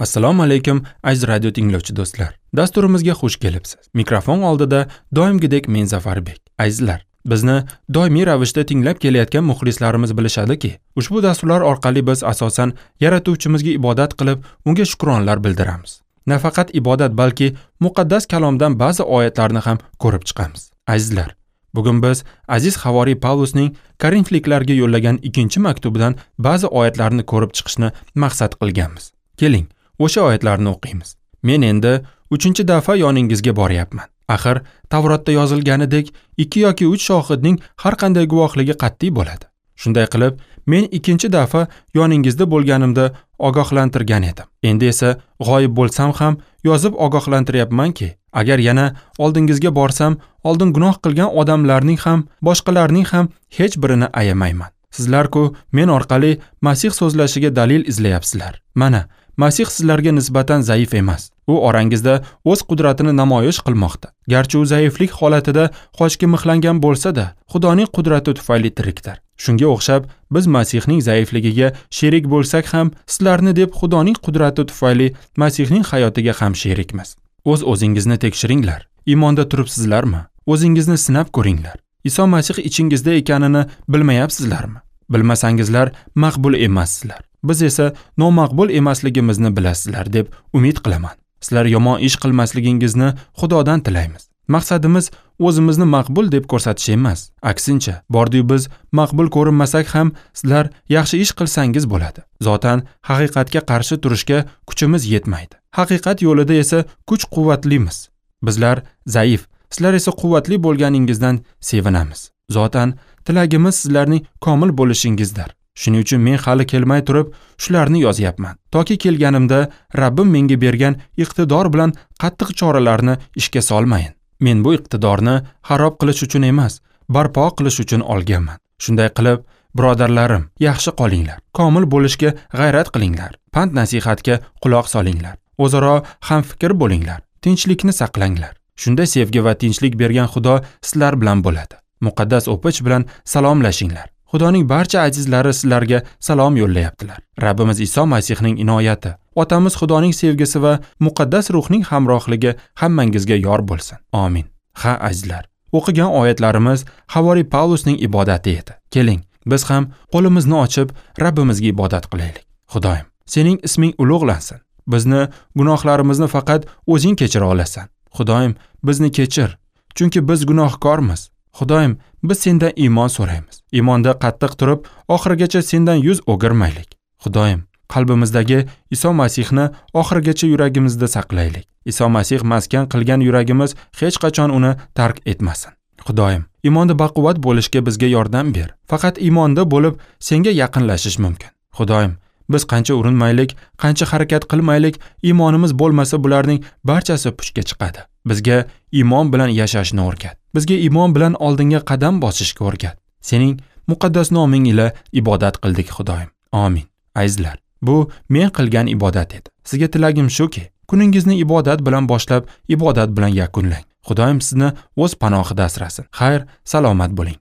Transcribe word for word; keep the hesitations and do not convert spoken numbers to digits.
Assalomu alaykum aziz radio tinglovchi do'stlar. Dasturimizga xush kelibsiz. Mikrofon oldida doimgidek men Zafarbek. Azizlar, bizni doimiy ravishda tinglab kelayotgan muxlislarimiz bilishadiki, ushbu dasturlar orqali biz asosan yaratuvchimizga ibodat qilib, unga shukronlar bildiramiz. Nafaqat ibodat, balki muqaddas kalomdan ba'zi oyatlarni ham ko'rib chiqamiz. Azizlar, bugun biz aziz havoriy Pavlusning Korinfliklarga yo'llagan ikkinchi maktubidan ba'zi oyatlarni ko'rib chiqishni maqsad qilganmiz. Keling, o'sha oyatlarni o'qiymiz. Men endi uchinchi dafa yoningizga boryapman. Axir Tavrotda yozilganidek, ikki yoki uch shohidning har qanday guvohligi qat'iy bo'ladi. Shunday qilib, men ikkinchi dafa yoningizda bo'lganimda ogohlantirgan edim. Endi esa g'oyib bo'lsam ham yozib ogohlantiryapmanki, agar yana oldingizga borsam, oldin gunoh qilgan odamlarning ham, boshqalarning ham hech birini ayamayman. Sizlar-ku men orqali Masih so'zlashiga dalil izlayapsizlar. Mana, Masih sizlarga nisbatan zaif emas. U orangizda o'z qudratini namoyish qilmoqda. Garchi u zaiflik holatida qochga mixlangan bo'lsa-da, Xudoning qudrati tufayli tirikdir. Shunga o'xshab, biz Masihning zaifligiga sherik bo'lsak ham, sizlarni deb Xudoning qudrati tufayli Masihning hayotiga ham sherikmiz. O'z-o'zingizni tekshiringlar. Iymonda turibsizlarmi? O'zingizni sinab ko'ringlar. Iso Masih ichingizda ekanini bilmayapsizlarmi? Bilmasangizlar, maqbul emassizlar. Biz esa nomaqbul emasligimizni bilasizlar deb umid qilaman. Sizlar yomon ish qilmasligingizni Xudodan tilaymiz. Maqsadimiz o'zimizni maqbul deb ko'rsatish emas. Aksincha, bordiyu biz maqbul ko'rinmasak ham sizlar yaxshi ish qilsangiz bo'ladi. Zotan haqiqatga qarshi turishga kuchimiz yetmaydi. Haqiqat yo'lida esa kuch-quvvatlimiz. Bizlar zaif, sizlar esa quvvatli bo'lganingizdan sevinamiz. Zotan tilagimiz sizlarning komil bo'lishingizdir. Shuning uchun men hali kelmay turib shularni yozyapman. Toki kelganimda Rabbim menga bergan iqtidor bilan qattiq choralarni ishga solmayin. Men bu iqtidorni xarob qilish uchun emas, barpo qilish uchun olganman. Shunday qilib, birodarlarim, yaxshi qolinglar. Komil bo'lishga g'ayrat qilinglar. Pand nasihatga quloq solinglar. O'zaro hamfikr bo'linglar. Tinchlikni saqlanglar. Shunda sevgi va tinchlik bergan Xudo sizlar bilan bo'ladi. Muqaddas o'pich bilan salomlashinglar. Xudoning barcha azizlari sizlarga salom yo'llayaptilar. Rabbimiz Iso Masihning inoyati, Otamiz Xudoning sevgisi va muqaddas ruhning hamrohligi hammangizga yor bo'lsin. Amin. Ha, azizlar, o'qigan oyatlarimiz havoriy Pavlusning ibodati edi. Keling, biz ham qo'limizni ochib Rabbimizga ibodat qilaylik. Xudoyim, sening isming ulug'lansin. Bizni gunohlarimizni faqat o'zing kechira olasan. Xudoyim, bizni kechir, chunki biz gunohkormiz. Xudoyim, biz sendan iymon so'raymiz. Iymonda qattiq turib, oxirigacha sendan yuz o'girmaylik. Xudoyim, qalbimizdagi Iso Masihni oxirigacha yuragimizda saqlaylik. Iso Masih maskan qilgan yuragimiz hech qachon uni tark etmasin. Xudoyim, iymonda baquvvat bo'lishga bizga yordam ber. Faqat iymonda bo'lib senga yaqinlashish mumkin. Xudoyim, biz qancha urinmaylik, qancha harakat qilmaylik, iymonimiz bo'lmasa bularning barchasi puchga chiqadi. Bizga iymon bilan yashashni o'rgat. Bizga iymon bilan oldinga qadam bosishga o'rgat. Sening muqaddas noming ila ibodat qildik, Xudoyim. Amin. Azizlar, bu men qilgan ibodat edi. Sizga tilagim shuki, kuningizni ibodat bilan boshlab, ibodat bilan yakunlang. Xudoyim sizni o'z panohida asrasin. Xayr, salomat bo'ling.